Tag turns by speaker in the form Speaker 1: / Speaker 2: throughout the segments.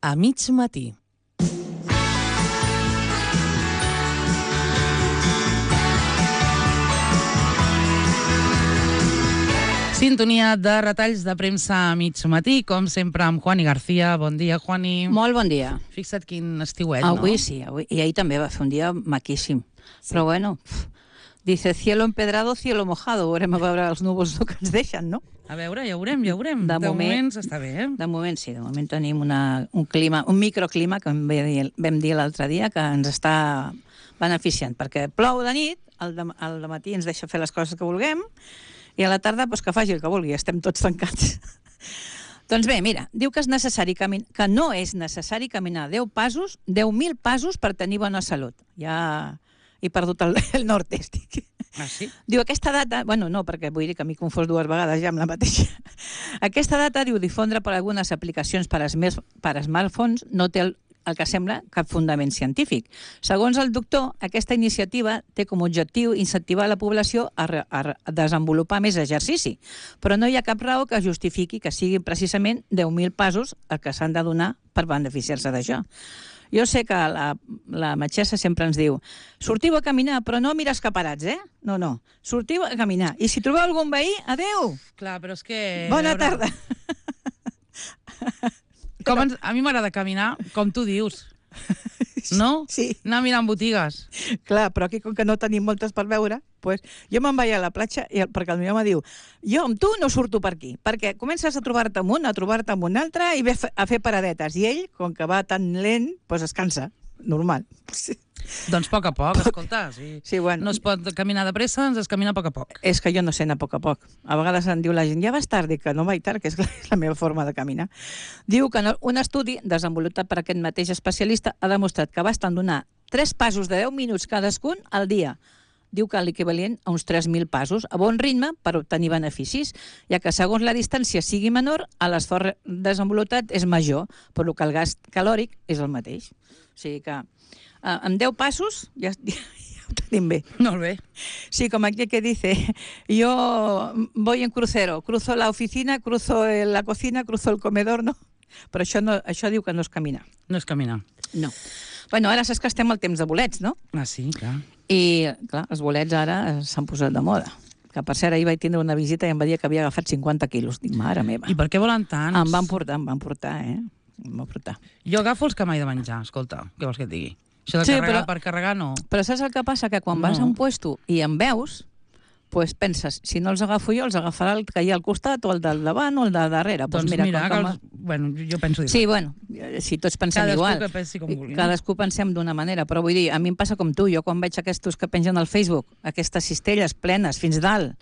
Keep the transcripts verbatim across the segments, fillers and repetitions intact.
Speaker 1: a mig matí. Sintonia de retalls de premsa a mig matí, com sempre amb Juani García. Bon dia, Juani.
Speaker 2: Molt bon dia.
Speaker 1: Fixa't quin estiuet, no?
Speaker 2: Avui sí, avui. I ahir també va fer un dia maquíssim. Sí. Però bueno, pff, dice cielo empedrado, cielo mojado. Veurem a veure els núvols que ens deixen, no?
Speaker 1: A veure, ja veurem, ja veurem.
Speaker 2: De,
Speaker 1: de
Speaker 2: moment,
Speaker 1: moment s'està bé, eh?
Speaker 2: De moment sí, de moment tenim una, un clima, un microclima, que vam dir, vam dir l'altre dia, que ens està beneficiant, perquè plou de nit, al de, al de matí ens deixa fer les coses que vulguem, i a la tarda doncs, que faci el que vulgui, estem tots tancats. Doncs bé, mira, diu que, és necessari camin... que no és necessari caminar deu passos, deu mil passos per tenir bona salut. Ja he perdut el, el nord, estic.
Speaker 1: Ah, sí?
Speaker 2: Diu, aquesta data... Bueno, no, perquè vull dir que m'he confós dues vegades ja amb la mateixa. Aquesta data, diu, difondre per algunes aplicacions per, esmer... per smartphones no té el, el que sembla cap fundament científic. Segons el doctor, aquesta iniciativa té com a objectiu incentivar la població a, re... a desenvolupar més exercici, però no hi ha cap raó que justifiqui que siguin precisament deu mil passos el que s'han de donar per beneficiar-se d'això. Jo sé que la, la metgessa sempre ens diu sortiu a caminar, però no mires caparats, eh? No, no. Sortiu a caminar. I si trobeu algun veí, adeu!
Speaker 1: Clar, però és que...
Speaker 2: Bona tarda!
Speaker 1: Com ens... A mi m'agrada caminar, com tu dius. No?
Speaker 2: Sí.
Speaker 1: Anar mirant botigues.
Speaker 2: Clar, però aquí, com que no tenim moltes per veure, pues, jo me'n vaig a la platja i el, perquè el meu home diu jo amb tu no surto per aquí, perquè comences a trobar-te amb un, a trobar-te amb un altre i ve a fer paradetes. I ell, com que va tan lent, pues es cansa. Normal. Sí.
Speaker 1: Doncs a poc a poc, escolta. Sí.
Speaker 2: Sí, bueno.
Speaker 1: No es pot caminar de pressa, ens es camina a poc a poc.
Speaker 2: És que jo no sé anar a poc a poc. A vegades em diu la gent, ja vas tard, dic que no vaig tard, que és la meva forma de caminar. Diu que un estudi desenvolupat per aquest mateix especialista ha demostrat que basten donar tres passos de deu minuts cadascun al dia. Diu que l'equivalent a uns tres mil passos, a bon ritme per obtenir beneficis, ja que segons la distància sigui menor, l'esforç desenvolupat és major, però que el gast calòric és el mateix. O sigui que uh, amb deu passos ja, ja, ja ho tenim bé.
Speaker 1: Molt bé.
Speaker 2: Sí, com aquí que dice, yo voy en crucero, cruzo la oficina, cruzo la cocina, cruzo el comedor, no? Però això, no, això diu que no és caminar.
Speaker 1: No és caminar.
Speaker 2: No. Bueno, ara saps que estem al temps de bolets, no?
Speaker 1: Ah, sí, clar.
Speaker 2: I, clar, els bolets ara s'han posat de moda. Que, per cert, ahir vaig tindre una visita i em va dir que havia agafat cinquanta quilos. Dic, mare meva.
Speaker 1: I per què volen tants?
Speaker 2: Em van portar, em van portar, eh? Em van portar.
Speaker 1: Jo agafo els que mai de menjar, escolta. Què vols que et digui? Això de
Speaker 2: Sí,
Speaker 1: carregar
Speaker 2: però-
Speaker 1: per carregar, no.
Speaker 2: Però saps el que passa? Que quan
Speaker 1: No.
Speaker 2: vas a un puesto i en veus, pues penses, si no els agafo jo, els agafarà el que hi ha al costat, o el del davant, o el de darrere.
Speaker 1: Doncs
Speaker 2: pues mira,
Speaker 1: mira,
Speaker 2: com
Speaker 1: que
Speaker 2: que
Speaker 1: els... bueno, jo penso dir.
Speaker 2: Sí, bueno, si tots pensem
Speaker 1: Cadascú
Speaker 2: igual.
Speaker 1: que pensi com vulgui, no?
Speaker 2: Cadascú pensem d'una manera, però vull dir, a mi em passa com tu, jo quan veig aquests que pengen al Facebook, aquestes cistelles plenes fins dalt,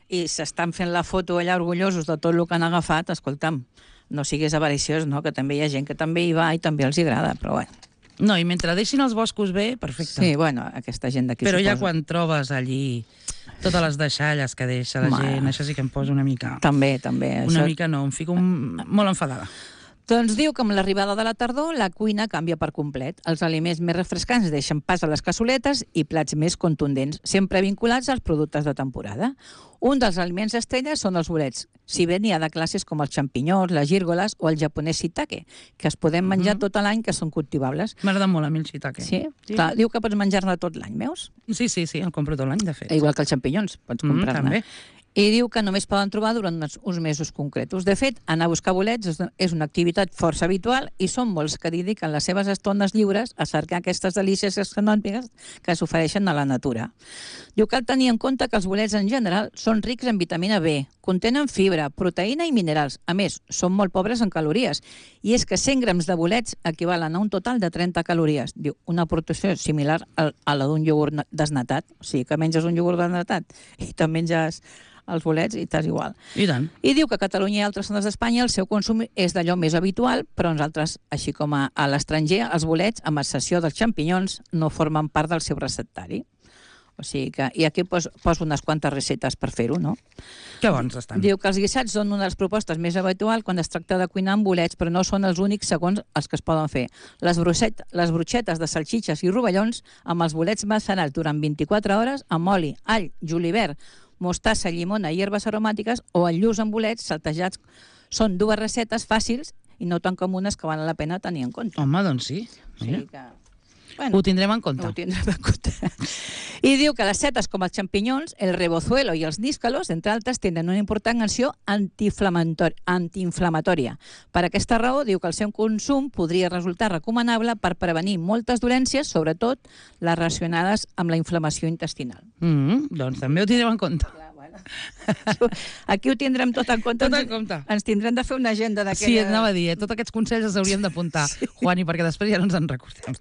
Speaker 2: i s'estan fent la foto allà orgullosos de tot el que han agafat, escolta'm, no siguis avariciós, no? Que també hi ha gent que també hi va i també els agrada, però bueno.
Speaker 1: No, i mentre deixin els boscos bé, perfecte.
Speaker 2: Sí, bueno, aquesta gent d'aquí
Speaker 1: Però ja
Speaker 2: suposo.
Speaker 1: quan trobes allí totes les deixalles que deixa la
Speaker 2: Mare.
Speaker 1: gent, això sí que em posa una mica...
Speaker 2: També, també.
Speaker 1: Una
Speaker 2: això...
Speaker 1: mica no, em fico un... molt enfadada.
Speaker 2: Doncs diu que amb l'arribada de la tardor la cuina canvia per complet. Els aliments més refrescants deixen pas a les cassoletes i plats més contundents, sempre vinculats als productes de temporada. Un dels aliments estrelles són els bolets, si bé n'hi ha de classes com els xampinyons, les gírgoles o el japonès shiitake, que es podem menjar
Speaker 1: Mhm.
Speaker 2: tot l'any, que són cultivables.
Speaker 1: M'agrada molt a mi el shiitake.
Speaker 2: Sí?
Speaker 1: Sí.
Speaker 2: Clar, diu que pots menjar-ne tot l'any, veus?
Speaker 1: Sí, sí, sí, el compro tot l'any, de fet.
Speaker 2: Igual que els xampinyons, pots
Speaker 1: Mm,
Speaker 2: comprar-ne.
Speaker 1: també.
Speaker 2: I diu que només poden trobar durant uns, uns mesos concretos. De fet, anar a buscar bolets és, és una activitat força habitual i són molts que dediquen les seves estones lliures a cercar aquestes delícies gastronòmiques que s'ofereixen a la natura. Diu que cal tenir en compte que els bolets en general són rics en vitamina B, contenen fibra, proteïna i minerals. A més, són molt pobres en calories. I és que cent grams de bolets equivalen a un total de trenta calories. Diu, una proporció similar a, a la d'un iogurt desnatat. O sigui, que menges un iogurt desnatat i te menges els bolets i t'és igual.
Speaker 1: I tant.
Speaker 2: I diu que a Catalunya i altres zones d'Espanya el seu consum és d'allò més habitual, però nosaltres, així com a, a l'estranger, els bolets, amb excepció dels xampinyons, no formen part del seu receptari. O sigui que, i aquí pos, poso unes quantes receptes per fer-ho, no?
Speaker 1: Que bons estan.
Speaker 2: Diu que els guisats són una de les propostes més habituals quan es tracta de cuinar amb bolets, però no són els únics segons els que es poden fer. Les, brucet, les brutxetes de salxitxes i rovellons amb els bolets macerats durant vint-i-quatre hores amb oli, all, julivert, mostassa, llimona i herbes aromàtiques o el lluç amb bolets saltejats són dues recetes fàcils i no tan comunes que val la pena tenir en compte.
Speaker 1: Home, doncs sí.
Speaker 2: O
Speaker 1: Mira.
Speaker 2: sigui que... Bueno,
Speaker 1: Ho tindrem en compte.
Speaker 2: Ho tindrem en compte. I diu que les setes com els xampinyons, el rebozuelo i els níscalos, entre altres, tenen una important acció antiinflamatòria. Per aquesta raó, diu que el seu consum podria resultar recomanable per prevenir moltes dolències, sobretot les relacionades amb la inflamació intestinal.
Speaker 1: Mm, doncs també ho tindrem en compte.
Speaker 2: Clar, bueno. Aquí ho tindrem tot en compte.
Speaker 1: Tot en compte.
Speaker 2: Ens tindrem de fer una agenda d'aquella...
Speaker 1: Sí, anava a dir, eh? Tots aquests consells els hauríem d'apuntar, sí. Juani, perquè després ja no ens en recordem.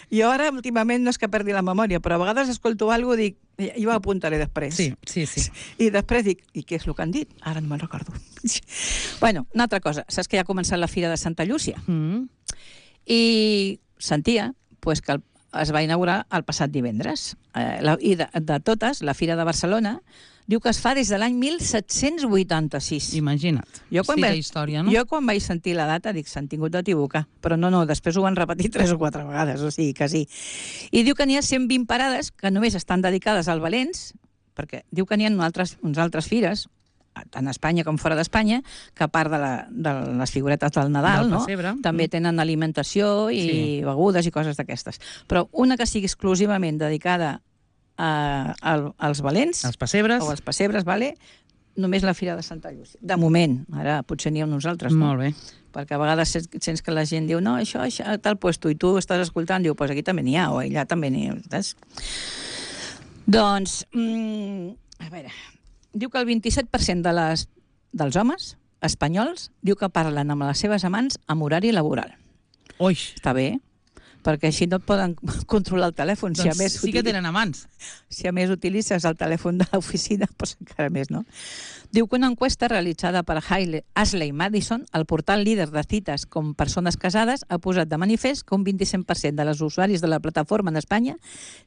Speaker 2: Jo ara, últimament, no és que perdi la memòria, però a vegades escolto alguna cosa i dic, jo ho apuntaré després.
Speaker 1: Sí, sí, sí.
Speaker 2: I després dic, i què és el que han dit? Ara no me'n recordo. Bueno, una altra cosa. Saps que ja ha començat la Fira de Santa Llúcia?
Speaker 1: Mm.
Speaker 2: I sentia pues, que el, es va inaugurar el passat divendres. Eh, la, I de, de totes, la Fira de Barcelona diu que es fa des de l'any mil set-cents vuitanta-sis.
Speaker 1: Imagina't.
Speaker 2: Jo quan,
Speaker 1: sí,
Speaker 2: vaig,
Speaker 1: de història, no?
Speaker 2: jo quan vaig sentir la data dic, s'han tingut d'equivocar. Però no, no, després ho van repetir tres o quatre vegades, o sigui que sí. I diu que n'hi ha cent vint parades que només estan dedicades al Valents, perquè diu que n'hi ha altres, uns altres fires, tant a Espanya com fora d'Espanya, que a part de, la, de les figuretes del Nadal,
Speaker 1: del
Speaker 2: no?
Speaker 1: pessebre.
Speaker 2: També tenen alimentació i sí. begudes i coses d'aquestes. Però una que sigui exclusivament dedicada a, a, als Valents,
Speaker 1: els pessebres,
Speaker 2: o als pessebres, vale? Només la Fira de Santa Llúcia. De moment, ara potser n'hi ha uns altres, no?
Speaker 1: Molt bé.
Speaker 2: Perquè a vegades sents que la gent diu no, això, això, a tal puesto, i tu estàs escoltant, diu, pues aquí també n'hi ha, o allà també n'hi ha. Saps? Doncs, mm, a veure, diu que el vint-i-set per cent de les, dels homes espanyols diu que parlen amb les seves amants amb horari laboral.
Speaker 1: Ui!
Speaker 2: Està bé, perquè així no et poden controlar el telèfon.
Speaker 1: Doncs
Speaker 2: si a més
Speaker 1: sí que tenen amants.
Speaker 2: Si a més utilitzes el telèfon de l'oficina, doncs encara més, no? Diu que una enquesta realitzada per Ashley Madison, el portal líder de cites com persones casades, ha posat de manifest que un vint-i-cinc per cent de les usuaris de la plataforma en Espanya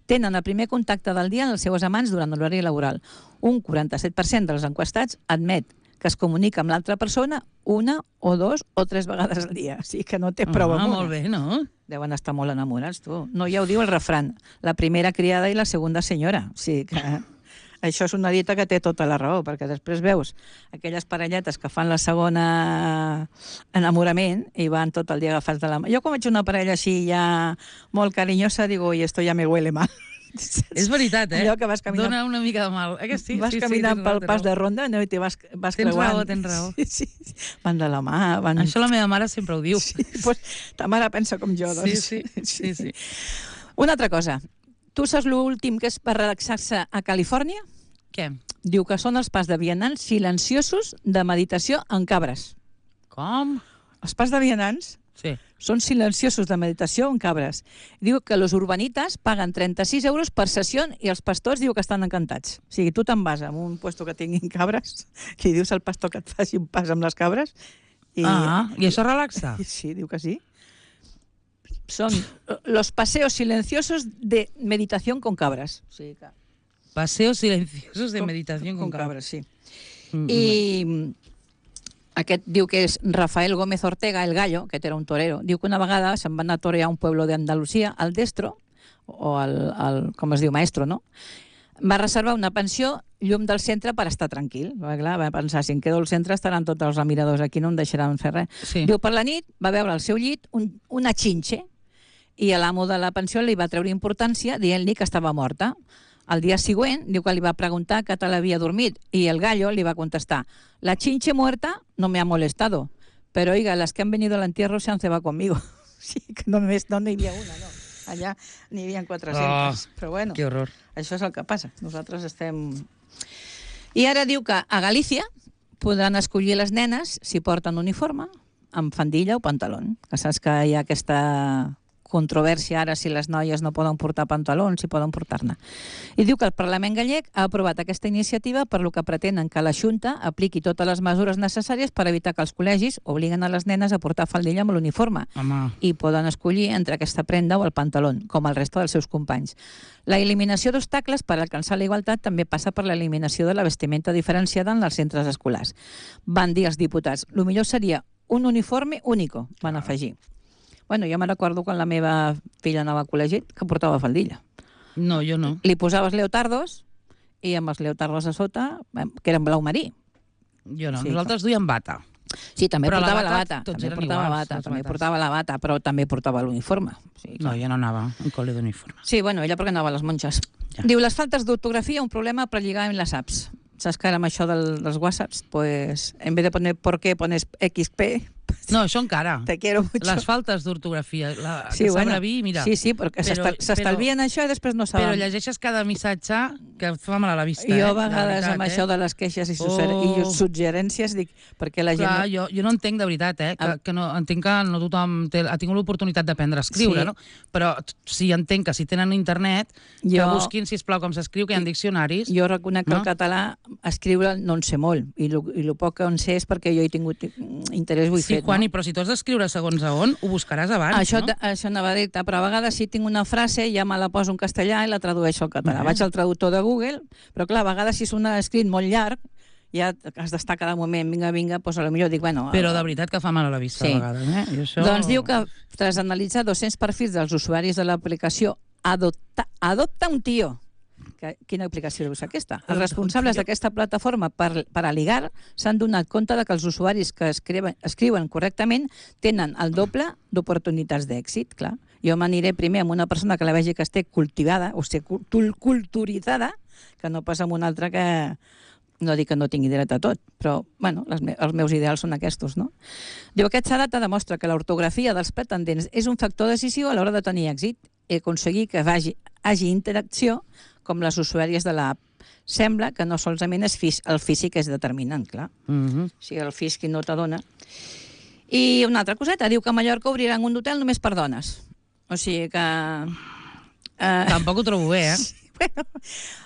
Speaker 2: tenen el primer contacte del dia amb els seus amants durant l'horari laboral. Un quaranta-set per cent dels enquestats admet que es comunica amb l'altra persona una o dos o tres vegades al dia. O sigui que no té prou
Speaker 1: ah,
Speaker 2: amb una.
Speaker 1: Molt bé, no?
Speaker 2: Deuen estar molt enamorats, tu. No, ja ho diu el refrán. La primera criada i la segona senyora. O sigui que això és una dita que té tota la raó, perquè després veus aquelles parelletes que fan la segona enamorament i van tot el dia agafats de la mà. Jo quan veig una parella així ja molt carinyosa, digo, i esto ja me huele mal.
Speaker 1: És veritat, eh?
Speaker 2: Allò que vas caminant...
Speaker 1: Dona una mica de mal. Eh que sí?
Speaker 2: Vas
Speaker 1: sí,
Speaker 2: caminant
Speaker 1: sí,
Speaker 2: pel pas de ronda, no? I te vas, vas
Speaker 1: tens
Speaker 2: creuant.
Speaker 1: Raó, tens raó.
Speaker 2: Sí, sí, sí. Van de la mà. Van...
Speaker 1: Això la meva mare sempre ho diu.
Speaker 2: Sí, pues, ta mare pensa com jo, doncs.
Speaker 1: Sí, sí, sí, sí.
Speaker 2: Una altra cosa. Tu saps l'últim que és per relaxar-se a Califòrnia?
Speaker 1: Què?
Speaker 2: Diu que són els pas de vianants silenciosos de meditació en cabres.
Speaker 1: Com?
Speaker 2: Els pas de vianants
Speaker 1: sí.
Speaker 2: són silenciosos de meditació en cabres. Diu que los urbanitas paguen trenta-sis euros per sessió i els pastors diu que estan encantats. O sigui, tu te'n vas a un puesto que tinguin cabres i dius al pastor que et faci un pas amb les cabres. I...
Speaker 1: Ah, i això relaxa?
Speaker 2: Sí, diu que sí. Són los paseos silenciosos de meditación con cabras. O sigui que...
Speaker 1: Paseos silenciosos de meditación con,
Speaker 2: con cabras. Sí.
Speaker 1: Mm -hmm.
Speaker 2: I aquest diu que és Rafael Gómez Ortega, el gallo, que era un torero. Diu que una vegada se'n van a torear a un pueblo d'Andalusia, al destro, o al, al, com es diu, maestro, no? Va reservar una pensió llum del centre per estar tranquil. Va, clar, va pensar, si em quedo al centre estaran tots els remiradors aquí, no em deixaran fer res.
Speaker 1: Sí.
Speaker 2: Diu, per la nit va veure al seu llit un, una xinxe i l'amo de la pensió li va treure importància dient-li que estava morta. El dia següent, diu que li va preguntar què tal havia dormit i el gallo li va contestar: la chinche muerta no me ha molestado, pero oiga, las que han venido al entierro se han cebado conmigo. Sí, que només no n'hi havia una, no. Allà n'hi havia quatre-centes. Oh, però bueno,
Speaker 1: que horror.
Speaker 2: Això és el que passa. Nosaltres estem... I ara diu que a Galícia podran escollir les nenes si porten uniforme, amb faldilla o pantaló. Que saps que hi ha aquesta controvèrsia ara si les noies no poden portar pantalons, si poden portar-ne. I diu que el Parlament gallec ha aprovat aquesta iniciativa per lo que pretenen que la Xunta apliqui totes les mesures necessàries per evitar que els col·legis obliguen a les nenes a portar faldilla amb l'uniforme i poden escollir entre aquesta prenda o el pantaló, com el resta dels seus companys. La eliminació d'obstacles per alcançar la igualtat també passa per l'eliminació de la vestimenta diferenciada en els centres escolars. Van dir els diputats, el millor seria un uniforme único, van afegir. Bueno, jo me recordo quan la meva filla anava al col·legi que portava faldilla.
Speaker 1: No, jo no.
Speaker 2: Li posaves leotardos i amb els leotardos a sota, que eren blau marí.
Speaker 1: Jo no,
Speaker 2: sí,
Speaker 1: nosaltres duiem bata.
Speaker 2: Sí, també
Speaker 1: Però la
Speaker 2: portava la
Speaker 1: bata,
Speaker 2: bata,
Speaker 1: tots
Speaker 2: també
Speaker 1: eren
Speaker 2: portava
Speaker 1: iguals,
Speaker 2: bata,
Speaker 1: les
Speaker 2: també
Speaker 1: bates.
Speaker 2: portava la bata, però també portava l'uniforme. Sí,
Speaker 1: No, jo no anava en col·le d'uniforme.
Speaker 2: Sí, bueno, ella perquè anava a les monges.
Speaker 1: Ja.
Speaker 2: Diu, les faltes d'ortografia, un problema per lligar amb les apps. Saps que ara amb això del, dels whatsapps, pues, en vez de poner por qué, pones equis pe.
Speaker 1: No, això encara.
Speaker 2: Te quiero mucho.
Speaker 1: Les faltes d'ortografia, la,
Speaker 2: Sí,
Speaker 1: que
Speaker 2: bueno,
Speaker 1: s'abrevi, mira.
Speaker 2: sí, sí, perquè
Speaker 1: Però-
Speaker 2: s'estalvien això i després no saben.
Speaker 1: Però llegeixes cada missatge que et fa mal a la vista.
Speaker 2: Jo
Speaker 1: eh?
Speaker 2: a
Speaker 1: De
Speaker 2: vegades
Speaker 1: veritat,
Speaker 2: amb
Speaker 1: eh?
Speaker 2: això de les queixes i, suger
Speaker 1: Oh.
Speaker 2: i suggerències dic, perquè la gent...
Speaker 1: Clar, jo, jo no entenc de veritat, eh? Que,
Speaker 2: Ah.
Speaker 1: que no, entenc que no tothom té, ha tingut l'oportunitat d'aprendre a escriure,
Speaker 2: Sí.
Speaker 1: no? Però t- sí entenc que si tenen internet, que
Speaker 2: Jo-
Speaker 1: busquin, sisplau, com s'escriu, que hi ha diccionaris.
Speaker 2: Jo reconec que
Speaker 1: No?
Speaker 2: el català, escriure no en sé molt, i el poc que en sé és perquè jo he tingut interès, ho he
Speaker 1: Sí,
Speaker 2: fet.
Speaker 1: Juani,
Speaker 2: no?
Speaker 1: però si tu has d'escriure segons a on, ho buscaràs abans,
Speaker 2: Això,
Speaker 1: no?
Speaker 2: te- això anava a dir-te, però a vegades si tinc una frase ja me la poso en castellà i la tradueixo al català.
Speaker 1: Molt bé.
Speaker 2: Vaig al traductor de Google, però clar, a vegades si és un escrit molt llarg, ja has d'estar cada moment, vinga, vinga, doncs potser dic, bueno...
Speaker 1: Però de veritat que fa mal a la vista,
Speaker 2: Sí.
Speaker 1: a vegades, eh? I això...
Speaker 2: Doncs diu que tras analitzar dos-cents perfils dels usuaris de l'aplicació Adopta, Adopta un tio. Que, quina aplicació deu ser aquesta? Els
Speaker 1: Adopta un
Speaker 2: responsables
Speaker 1: tio.
Speaker 2: d'aquesta plataforma per, per a ligar s'han donat compte de que els usuaris que escriuen, escriuen correctament tenen el doble d'oportunitats d'èxit, clar. Jo m'aniré primer amb una persona que la vegi que esté cultivada, o sigui, cul- culturitzada, que no pas amb una altra que, no dic que no tingui dret a tot, però bueno, les me els meus ideals són aquests, no? Diu, aquesta data demostra que l'ortografia dels pretendents és un factor decisiu a l'hora de tenir èxit i aconseguir que vagi, hagi interacció com les usuàries de l'app. Sembla que no solament és fís el físic és determinant, clar.
Speaker 1: Mhm.
Speaker 2: O sigui, el físic no t'adona. I una altra coseta, diu que a Mallorca obriran un hotel només per dones. O sigui que... Eh,
Speaker 1: Tampoc ho trobo bé, eh?
Speaker 2: Bueno,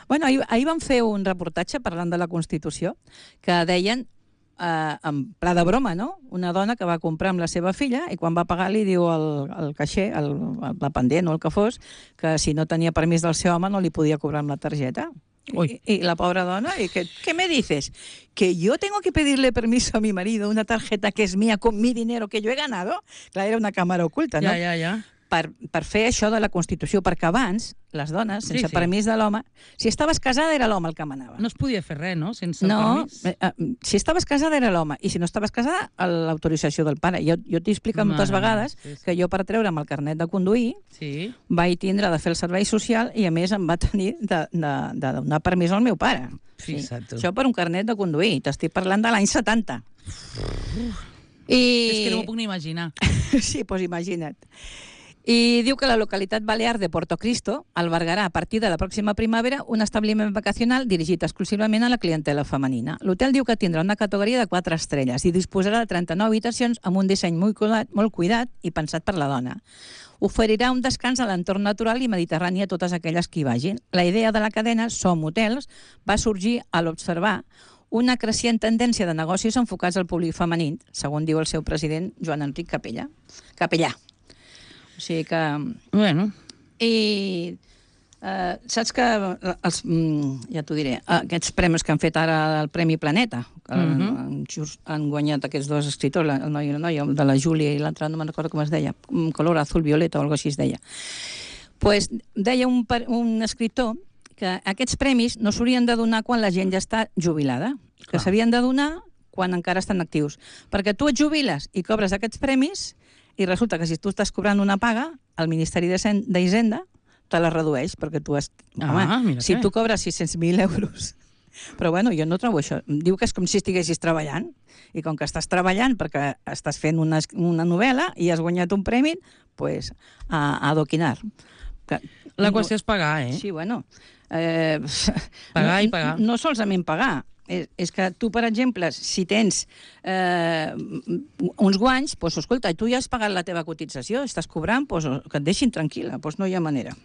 Speaker 2: bueno ahir, ahir vam fer un reportatge parlant de la Constitució que deien, eh, en pla de broma, no? Una dona que va comprar amb la seva filla i quan va pagar li diu al, al caixer, al, al dependent o el que fos, que si no tenia permís del seu home no li podia cobrar amb la targeta.
Speaker 1: Uy.
Speaker 2: Y, y la pobre dona, y que, ¿qué me dices? ¿Que yo tengo que pedirle permiso a mi marido una tarjeta que es mía con mi dinero que yo he ganado? Clar, era una càmera oculta, no?
Speaker 1: Ja, ja, ja.
Speaker 2: Per, per fer això de la Constitució, perquè abans, les dones, sense
Speaker 1: Sí, sí.
Speaker 2: permís de l'home, si estaves casada era l'home el que manava.
Speaker 1: No es podia fer res, no? Sense
Speaker 2: No,
Speaker 1: permís.
Speaker 2: eh, eh, si estaves casada era l'home, i si no estaves casada, l'autorització del pare. Jo, jo t'he explicat moltes
Speaker 1: Mare
Speaker 2: vegades
Speaker 1: meva, sí, sí.
Speaker 2: que jo per treure'm el carnet de conduir
Speaker 1: Sí.
Speaker 2: vaig tindre de fer el servei social i a més em va tenir de, de, de donar permís al meu pare.
Speaker 1: Fixa't tu.
Speaker 2: Això per un carnet de conduir. T'estic parlant de l'any setanta. I...
Speaker 1: És que no m'ho puc ni imaginar.
Speaker 2: Sí, doncs imagina't. I diu que la localitat balear de Porto Cristo albergarà a partir de la pròxima primavera un establiment vacacional dirigit exclusivament a la clientela femenina. L'hotel diu que tindrà una categoria de quatre estrelles i disposarà de trenta-nou habitacions amb un disseny molt cuidat, molt cuidat i pensat per la dona. Oferirà un descans a l'entorn natural i mediterrani a totes aquelles que hi vagin. La idea de la cadena Som Hotels va sorgir a l'observar una creixent tendència de negocis enfocats al públic femení, segons diu el seu president Joan Enric Capella. Capellà. O sigui que...
Speaker 1: Bueno,
Speaker 2: I eh, saps que els, mm, ja t'ho diré, aquests premis que han fet ara el Premi Planeta, que
Speaker 1: Mhm.
Speaker 2: han, just, han guanyat aquests dos escriptors, la- el noi i la noia, el de la Júlia i l'altre, no me'n recordo com es deia, un color azul violeta o alguna cosa així es deia. Pues deia un, per- un escriptor que aquests premis no s'haurien de donar quan la gent ja està jubilada, que
Speaker 1: Clar.
Speaker 2: s'havien de donar quan encara estan actius. Perquè tu et jubiles i cobres aquests premis i resulta que si tu estàs cobrant una paga, el Ministeri d'Hisenda d'Hisenda te la redueix, perquè tu has...
Speaker 1: Ah, mira
Speaker 2: si
Speaker 1: que
Speaker 2: tu cobres sis-cents mil euros... Però bueno, jo no trobo això. Diu que és com si estiguessis treballant, i com que estàs treballant perquè estàs fent una, una novel·la i has guanyat un premi, pues, a, a adoquinar. Que,
Speaker 1: la qüestió és pagar, eh?
Speaker 2: Sí, bueno... Eh,
Speaker 1: Pagar
Speaker 2: no,
Speaker 1: i pagar.
Speaker 2: No solament pagar. És, és que tu, per exemple, si tens eh, uns guanys, doncs, escolta, tu ja has pagat la teva cotització, estàs cobrant, doncs, que et deixin tranquil·la, doncs no hi ha manera.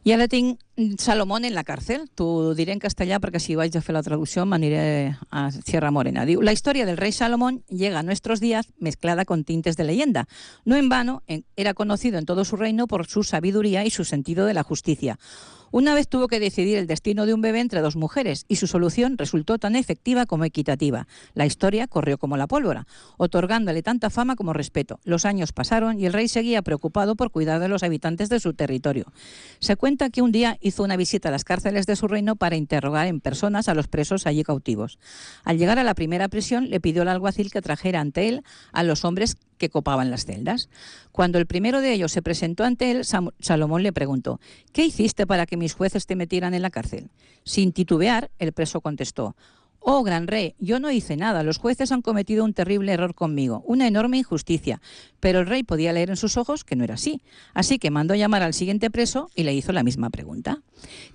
Speaker 2: I ara tinc Salomón en la cárcel. T'ho diré en castellà perquè si vaig a fer la traducció m'aniré a Sierra Morena. Diu, la historia del rey Salomón llega a nuestros días mezclada con tintes de leyenda. No en vano, en, era conocido en todo su reino por su sabiduría y su sentido de la justicia. Una vez tuvo que decidir el destino de un bebé entre dos mujeres y su solución resultó tan efectiva como equitativa. La historia corrió como la pólvora, otorgándole tanta fama como respeto. Los años pasaron y el rey seguía preocupado por cuidar de los habitantes de su territorio. Se cuenta que un día hizo una visita a las cárceles de su reino para interrogar en personas a los presos allí cautivos. Al llegar a la primera prisión, le pidió al alguacil que trajera ante él a los hombres que copaban las celdas. Cuando el primero de ellos se presentó ante él, Sam- Salomón le preguntó: ¿qué hiciste para que mis jueces te metieran en la cárcel? Sin titubear, el preso contestó: oh, gran rey, yo no hice nada. Los jueces han cometido un terrible error conmigo, una enorme injusticia. Pero el rey podía leer en sus ojos que no era así. Así que mandó llamar al siguiente preso y le hizo la misma pregunta.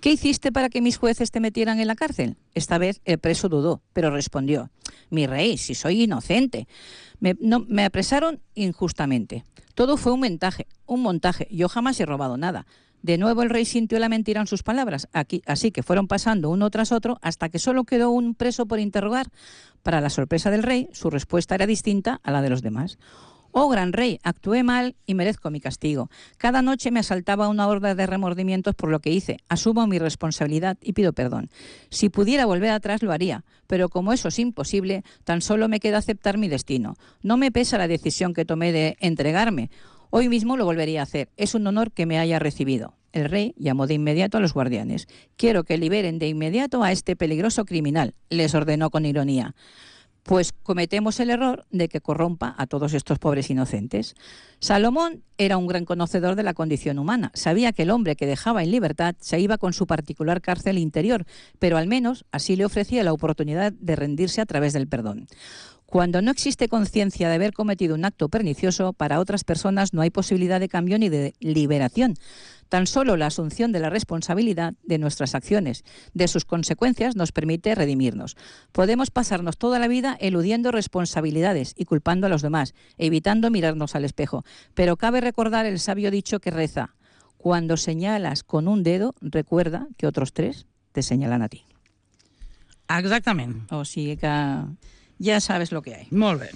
Speaker 2: ¿Qué hiciste para que mis jueces te metieran en la cárcel? Esta vez el preso dudó, pero respondió: mi rey, si soy inocente. Me, no, me apresaron injustamente. Todo fue un montaje, un montaje. Yo jamás he robado nada. De nuevo el rey sintió la mentira en sus palabras, aquí, así que fueron pasando uno tras otro hasta que solo quedó un preso por interrogar. Para la sorpresa del rey, su respuesta era distinta a la de los demás. Oh, gran rey, actué mal y merezco mi castigo. Cada noche me asaltaba una horda de remordimientos por lo que hice. Asumo mi responsabilidad y pido perdón. Si pudiera volver atrás lo haría, pero como eso es imposible, tan solo me queda aceptar mi destino. No me pesa la decisión que tomé de entregarme. Hoy mismo lo volvería a hacer. Es un honor que me haya recibido. El rey llamó de inmediato a los guardianes. Quiero que liberen de inmediato a este peligroso criminal, les ordenó con ironía. Pues cometemos el error de que corrompa a todos estos pobres inocentes. Salomón era un gran conocedor de la condición humana. Sabía que el hombre que dejaba en libertad se iba con su particular cárcel interior, pero al menos así le ofrecía la oportunidad de rendirse a través del perdón. Cuando no existe conciencia de haber cometido un acto pernicioso, para otras personas no hay posibilidad de cambio ni de liberación. Tan solo la asunción de la responsabilidad de nuestras acciones, de sus consecuencias, nos permite redimirnos. Podemos pasarnos toda la vida eludiendo responsabilidades y culpando a los demás, evitando mirarnos al espejo. Pero cabe recordar el sabio dicho que reza: cuando señalas con un dedo, recuerda que otros tres te señalan a ti.
Speaker 1: Exactament.
Speaker 2: O sigui que ya sabes lo que hay.
Speaker 1: Molt bé.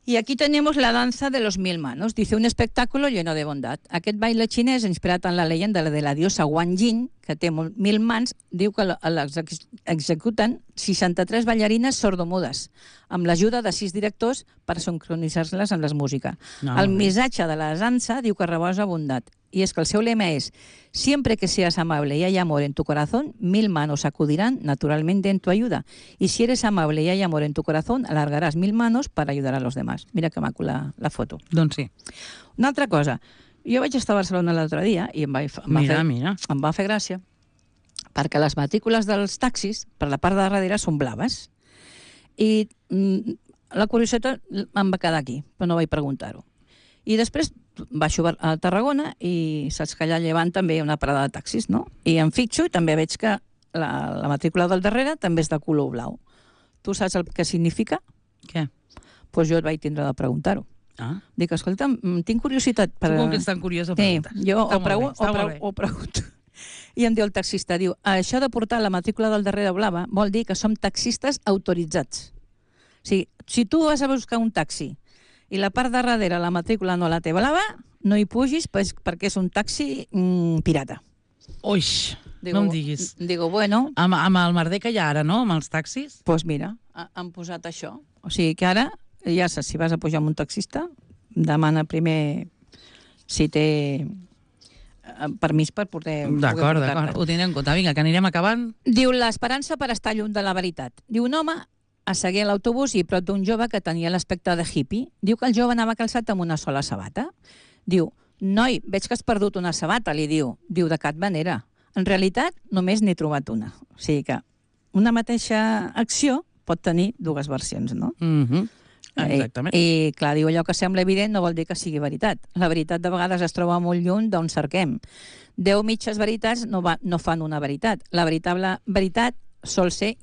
Speaker 2: Y aquí tenemos la danza de los mil manos. Dice, un espectáculo lleno de bondad. Aquest baile xinès, inspirat en la leyenda de la diosa Guan Yin, que té mil mans, diu que l'executen seixanta-tres ballarines sordomudes, amb l'ajuda de sis directors per sincronitzar-les amb la música.
Speaker 1: No,
Speaker 2: el
Speaker 1: no.
Speaker 2: missatge de la dansa diu que rebosa bondat. Y es que el seu lema es: siempre que seas amable y hay amor en tu corazón, mil manos acudirán naturalmente en tu ayuda. Y si eres amable y hay amor en tu corazón, alargarás mil manos para ayudar a los demás. Mira que maco la, la foto.
Speaker 1: Doncs sí.
Speaker 2: Una altra cosa. Jo vaig estar a Barcelona l'altre dia i em va, em va,
Speaker 1: Mira,
Speaker 2: fer,
Speaker 1: mira.
Speaker 2: em va fer gràcia perquè les matrícules dels taxis per la part de darrere són blaves. I mm, la curiositat em va quedar aquí, però no vaig preguntar-ho. I després baixo a Tarragona i saps que allà llevant també hi ha una parada de taxis, no? I em fixo i també veig que la, la matrícula del darrere també és de color blau. Tu saps el que significa?
Speaker 1: Què?
Speaker 2: Doncs pues jo et vaig tindre de preguntar-ho.
Speaker 1: Ah.
Speaker 2: Dic, escolta, tinc curiositat per...
Speaker 1: Tu com que ets tan curiós ho
Speaker 2: Sí,
Speaker 1: preguntes.
Speaker 2: jo
Speaker 1: Està
Speaker 2: ho, pregu
Speaker 1: molt bé, està
Speaker 2: ho,
Speaker 1: molt
Speaker 2: pregu
Speaker 1: bé.
Speaker 2: ho pregunto. I em diu el taxista, diu, això de portar la matrícula del darrere blava vol dir que som taxistes autoritzats. O sigui, si tu vas a buscar un taxi i la part de darrere la matrícula no la té blava, no hi pugis pues, perquè és un taxi mm, pirata.
Speaker 1: Oix,
Speaker 2: Digo,
Speaker 1: no em diguis.
Speaker 2: Digo, bueno,
Speaker 1: Amb, amb el merder que hi ha ara, no?, amb els taxis.
Speaker 2: doncs pues mira, ha- han posat això. O sigui que ara, ja saps, si vas a pujar amb un taxista, demana primer si té eh, permís per poder...
Speaker 1: D'acord,
Speaker 2: poder
Speaker 1: d'acord.
Speaker 2: portar-te.
Speaker 1: Ho tindré en compte. Vinga, que anirem acabant.
Speaker 2: Diu, l'esperança per estar lluny de la veritat. Diu, un home assegué a l'autobús i prop d'un jove que tenia l'aspecte de hippie. Diu que el jove anava calçat amb una sola sabata. Diu, noi, veig que has perdut una sabata, li diu. Diu, de cap manera. En realitat, només n'he trobat una. O sigui que una mateixa acció pot tenir dues versions, no?
Speaker 1: Mhm. Exactament.
Speaker 2: I, I, clar, diu, allò que sembla evident no vol dir que sigui veritat. La veritat de vegades es troba molt lluny d'on cerquem. Deu mitges veritats no, va, no fan una veritat. La veritable veritat sol ser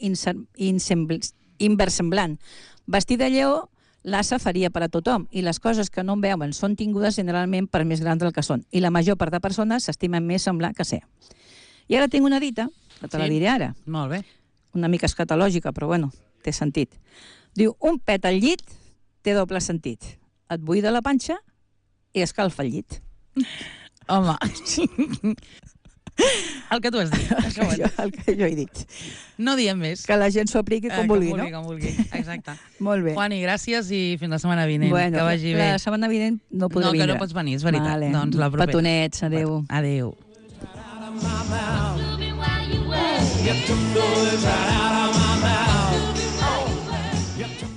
Speaker 2: inversemblant. Vestir de lleó, l'assa faria per a tothom, i les coses que no en veuen són tingudes generalment per més grans del que són. I la major part de persones s'estimen més semblar que ser. I ara tinc una dita, que te la
Speaker 1: Sí.
Speaker 2: diré ara.
Speaker 1: Molt bé.
Speaker 2: Una mica escatològica, però bueno, té sentit. Diu, un pet al llit té doble sentit. Et buida la panxa i escalfa el llit.
Speaker 1: Home, El que tu has dit.
Speaker 2: El que, jo, el que jo he dit.
Speaker 1: No diem més.
Speaker 2: Que la gent s'ho apliqui com
Speaker 1: eh,
Speaker 2: vulgui,
Speaker 1: com vulgui,
Speaker 2: no?
Speaker 1: Com vulgui, exacte.
Speaker 2: Molt bé.
Speaker 1: Juani, gràcies i fins la setmana vinent.
Speaker 2: Bueno,
Speaker 1: que vagi bé.
Speaker 2: La setmana vinent no podré
Speaker 1: no,
Speaker 2: vindre.
Speaker 1: No, que no pots venir, és veritat.
Speaker 2: Vale.
Speaker 1: Doncs la propera.
Speaker 2: Petonets, adéu.
Speaker 1: Adéu.
Speaker 3: You took those right out.